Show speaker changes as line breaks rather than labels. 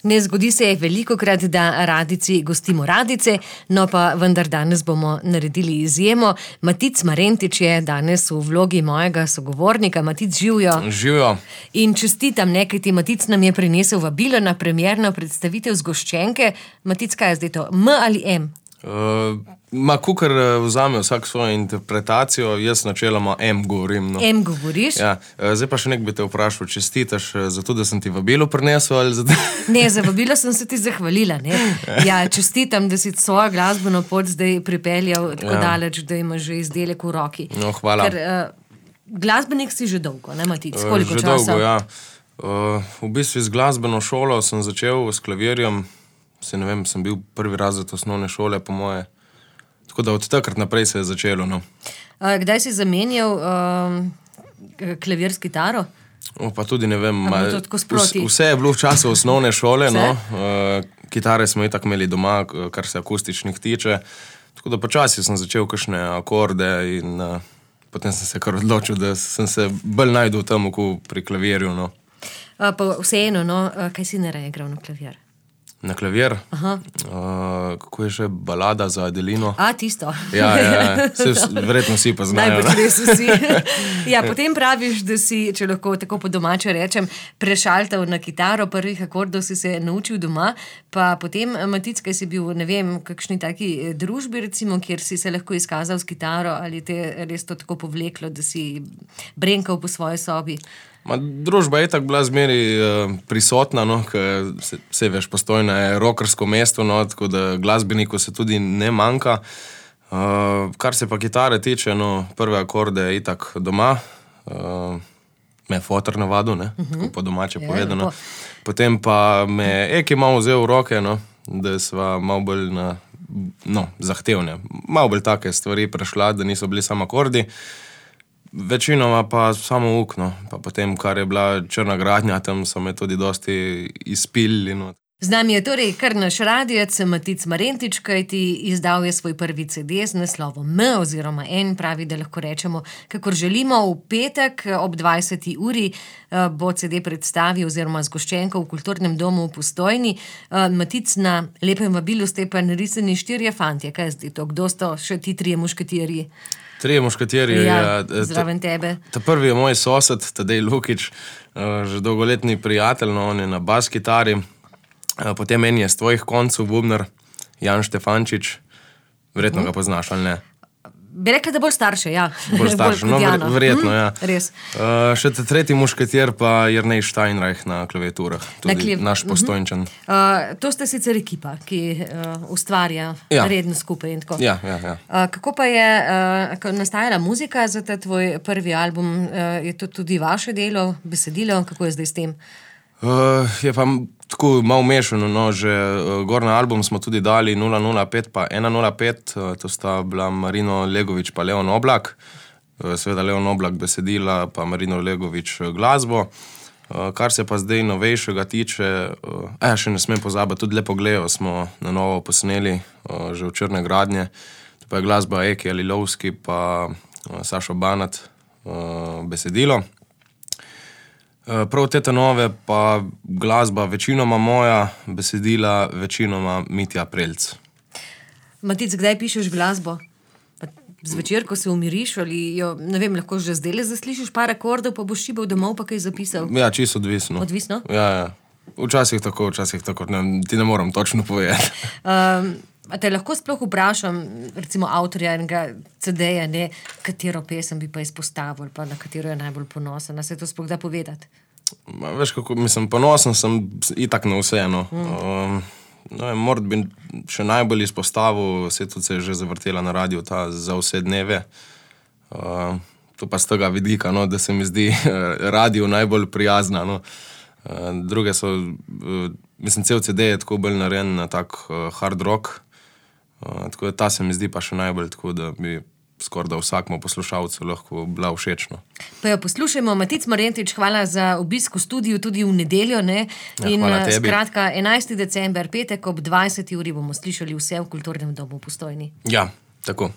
Ne zgodi se velikokrat, da radici gostimo radice, no pa vendar danes bomo naredili izjemo. Matic Marentič je danes v vlogi mojega sogovornika. Matic, živjo.
Živjo.
In čestitam, kajti Matic nam je prinesel vabilo na premierno predstavitev Zgoščenke. Matic, kaj je zdaj to? M ali M?
Kukar vzame vsak svojo interpretacijo, jaz načeloma M govorim. No.
M govoriš?
Ja. Zdaj pa še nekaj bi te vprašal, čestitaš zato, da sem ti vabilo prinesel ali zato?
Ne, za vabilo sem se ti zahvalila. Ne? Ja, čestitam, da si svojo glasbeno pot zdaj pripeljal tako daleč, da imaš že izdelek v roki.
No, hvala.
Ker glasbenik si že dolgo, ne Matic? Koliko
že
časa?
Že dolgo, ja. V bistvu z glasbeno šolo sem začel s klavirjem. Ne vem, sem bil prvi razred osnovne šole, po moje. Tako da od takrat naprej se je začelo, no.
Kdaj si zamenjal klavir s kitaro?
Pa tudi ne vem.
To tako sproti?
Vse je bilo v času osnovne šole, no. Kitare smo itak imeli doma, kar se akustičnih tiče. Tako da počasi sem začel kakšne akorde in potem sem se kar odločil, da sem se bolj najdel tam pri klavirju, no.
Pa vseeno, no, kaj si ne igral na klavir?
Na klavir? Kako je že balada za Adelino?
Tisto.
Ja. Verjetno vsi pa znajo.
Najbolj res vsi. Ja, potem praviš, da si, če lahko tako po domače rečem, prešaltal na kitaro, prvih akordov si se naučil doma, pa potem, Matic, kaj si bil, ne vem, kakšni taki družbi, recimo, kjer si se lahko izkazal s kitaro, ali te res to tako povleklo, da si brenkal po svoji sobi?
Družba je tako bila zmeri prisotna, no, ker se veš, Postojna je rockersko mesto, no, tako da glasbeniku se tudi ne manjka. Kar se pa kitare tiče, no, prve akorde je itak doma, me je fotor navadil, ne, tako po domače povedano. Potem pa me Eki malo vzel v roke, no, da sva malo bolj zahtevne, malo bolj take stvari prešla, da niso bili samo akordi. Večinoma pa samo ukno, pa potem, kar je bila Črna gradnja, tam so me tudi dosti izpilili. No.
Z nami je torej kar naš radijec Matic Marentič, kajti izdal je svoj prvi CD z naslovom M oziroma N, pravi, da lahko rečemo, kakor želimo. V petek ob 20. uri bo CD predstavil oziroma Zgoščenko v Kulturnem domu v Postojni. Matic, na lepem vabilu ste pa narisani 4 fantje. Kaj je zdaj to? Kdo sto še ti 3 mušketirji?
3 mušketirji,
ja. Zraven tebe.
Ta prvi je moj sosed, Tadej Lukič, že dolgoletni prijatelj, no, on je na bas kitari. Potem en je z tvojih koncev bubnar, Jan Štefančič. Verjetno ga poznaš, ali ne?
Bi rekla, da bolj starše, ja.
Bolj starše, no, verjetno, ja.
Res.
Še tretji mušketir pa Jernej Steinreich na klaviaturah, tudi naš Postojnčan.
To ste sicer ekipa, ki ustvarja redno skupaj in tako.
Ja.
Kako pa je nastajala muzika za ta tvoj prvi album? Je to tudi vaše delo, besedilo? Kako je zdaj s tem?
Je pa tako malo mešano, no, že gor na album smo tudi dali 005 pa 105, to sta bila Marino Legovič pa Leon Oblak, seveda Leon Oblak besedila pa Marino Legovič glasbo. Kar se pa zdaj novejšega tiče, še ne smem pozabiti, tudi Lepo Glejo smo na novo posneli, že v Črne gradnje, to pa je glasba Eki Alilovski pa Sašo Banat besedilo. Prav te nove pa glasba večinoma moja, besedila večinoma Mitja Prelc.
Matic, kdaj pišeš glasbo? Zvečer, ko se umiriš ali jo, ne vem, lahko že zdaj zaslišiš par akordov, pa boš šibal domov pa kaj zapisal?
Ja, čisto odvisno.
Odvisno?
Ja. Včasih tako, ti ne moram točno povedati.
A te lahko sploh vprašam, recimo avtorja enega CD-ja, ne, katero pesem bi pa izpostavil, pa na katero je najbolj ponosen, a se to sploh da povedati?
Veš kako, ponosen sem itak na vse, no. Morat bi še najbolj izpostavil, tudi se je že zavrtela na radiju ta Za vse dneve. To pa z tega vidika, no, da se mi zdi radio najbolj prijazna, no. Druge so, cel CD je tako bolj narejen na tak hard rock. Tako da ta se mi zdi pa še najbolj, tako da bi skoraj da vsakmu poslušalcu lahko bila všečno.
Pa jo poslušajmo. Matic Marentič, hvala za obisk v studiu tudi v nedeljo, ne? In
hvala tebi.
Skratka, 11. december, petek ob 20. uri bomo slišali vse v Kulturnem domu v Postojni.
Ja, tako.